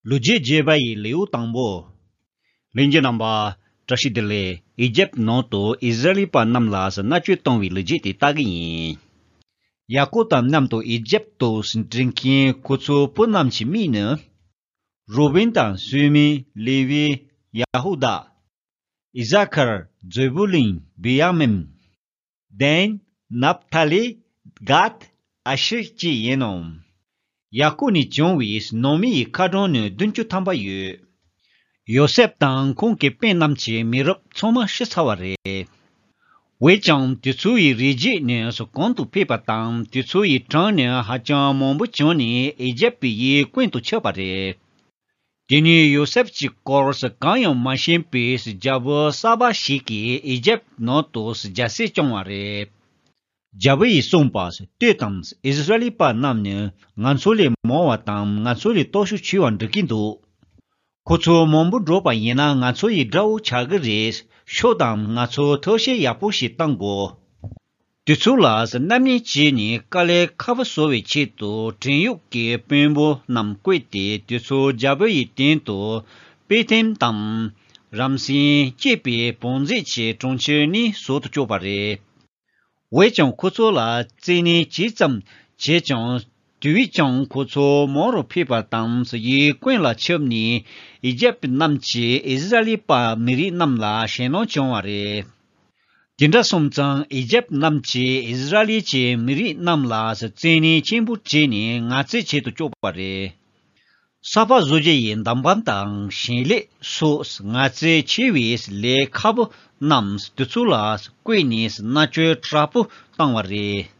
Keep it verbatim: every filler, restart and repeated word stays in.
ལོ་རྒྱུས་བརྗོད་པ་ཡི་ལེའུ་དང་པོ། ལྷན་རྒྱས་རྣམ་པ། བཀྲ་ཤིས་བདེ་ལེགས། ཨི་ཇེབ་ནང་དུ་ཨི་ཟི་རལ་པ་རྣམས་ལ་མནར་གཅོད་བཏང་བའི་ལོ་རྒྱུས་དེ་ལྟ་གི་ཡིན། ཡ་ཀོབ་དང་མཉམ་དུ་ཨི་ཇེབ་ཏུ་འགྲོ་མཁན་ཁོ་ཚོའི་བུ་རྣམས་ཀྱི་མིང་ནི། རུ་བེན་དང་སི་མོན། ལེ་ཝི། ཡ་ཧུ་དཱ། ཨི་ཟ་ཁར། ཛེ་བུ་ལུན། བི་ཡ་མིན། དན། ནབ་ཐ་ལི། གད། ཨ་ཤེར་བཅས་ཡིན་ནོ། ཡ་ཀོབ་ནས་བྱུང་བའི་ནང་མི་ཡི་མཁའ་འགྲོ་ནི་བདུན་ཅུ་ཐམ་པ་ཡོད། ཡོ་སེབ་དང་ཁོང་གི་སྤུན་རྣམས་ཀྱི་མི་རབས་ཚང་མ་ཤི་ཚར་བ་རེད། འོན་ཀྱང་དེ་ཚོ་ཡི་རིགས་རྒྱུད་ནི་གང་དུ་ཕེབས་པ་དང་དེ་ཚོ་ཡི་གྲངས་ནི་ཧ་ཅང་མང་པོ་བྱུང་ནས་ཨི་ཇེབ་པའི་ཡུལ་ཀུན་ཏུ་ཁྱབ་པ་རེད། དེ་ནས་ཡོ་སེབ་ཀྱི་སྐོར་གང་ཡང་མ་ཤེས་པའི་རྒྱལ་པོ་ས་བ་ཞིག་གིས་ཨི་ཇེབ་ནང་དུ་རྒྱལ་སྲིད་སྐྱོང་བ་རེད། རྒྱལ་པོ་ཡིས་གསུངས་པ། ལྟོས་དང་། ཨིསི་ར་ཨེལ་པ་རྣམས་ནི་ང་ཚོ་ལས་མང་བ་དང་ང་ཚོ་ལས་སྟོབས་ཤུགས་ཆེ་བ་འགྲོ་གིན་འདུག་ཁོ་ཚོ་མང་པོ་འགྲོ་བ་ཡིན་ན་ང་ཚོ་ཡི་དགྲ་བོ་ཆགས་ཀྱི་རེད། ཤོག་དང་། ང་ཚོ་ཐབས་ཤེས་ཡག་པོ་ཞིག་བཏང་དགོས། དེ་ཚོ་ལ་རྣམ་གཉིས་བྱས་ནས་དཀའ་ལས་ཁག་པོ་བཟོ་བའི་ཆེད་དུ་བྲན་གཡོག་གི་དཔོན་པོ་རྣམས་བསྐོས་ཏེ་དེ་ཚོ་རྒྱལ་པོ་ཡི་སྟེང་དུ་པེ་ཐེམ་དང་རམ་སེན་བཅས་པའི་བང་མཛོད་ཀྱི་གྲོང་ཁྱེར་ནས་བཟོ་དུ་བཅུག་པ་རེད། འོན་ཀྱང་ཁོ་ཚོ་ལ་བཙན་གནོན་ཇི་ཙམ་བྱས་ཀྱང་དེ་བས་ཀྱང་ཁོ་ཚོ་མང་རུ་ཕེབས་པ་དང་ཡུལ་ཀུན་ལ་ཁྱབ་ནས་ཨི་ཇེབ་རྣམས་ཀྱིས་ཨིསི་ར་ཨེལ་པ་མི་རིགས་རྣམས་ལ་ཞེད་སྣང་བྱུང་བ་རེད། དེ་འདྲ་སོང་ཙང་ཨི་ཇེབ་རྣམས་ཀྱིས་ཨིསི་ར་ཨེལ་གྱི་མི་རིགས་རྣམས་ལ་བཙན་གནོན་ཆེན་པོ་བྱས་ནས་ངལ་རྩོལ་བྱེད་དུ་བཅུག་པ་རེད། ས་ཕག་བཟོ་རྒྱུ་ཡི་འདམ་བག་དང་ཞིང་ལས་སོགས་ངལ་རྩོལ་ཆེ་བའི་ལས་ཁག་པོ་རྣམས་དེ་ཚོ་ལ་བསྐོས་ནས་མནར་གཅོད་དྲག་པོ་བཏང་བ་རེད།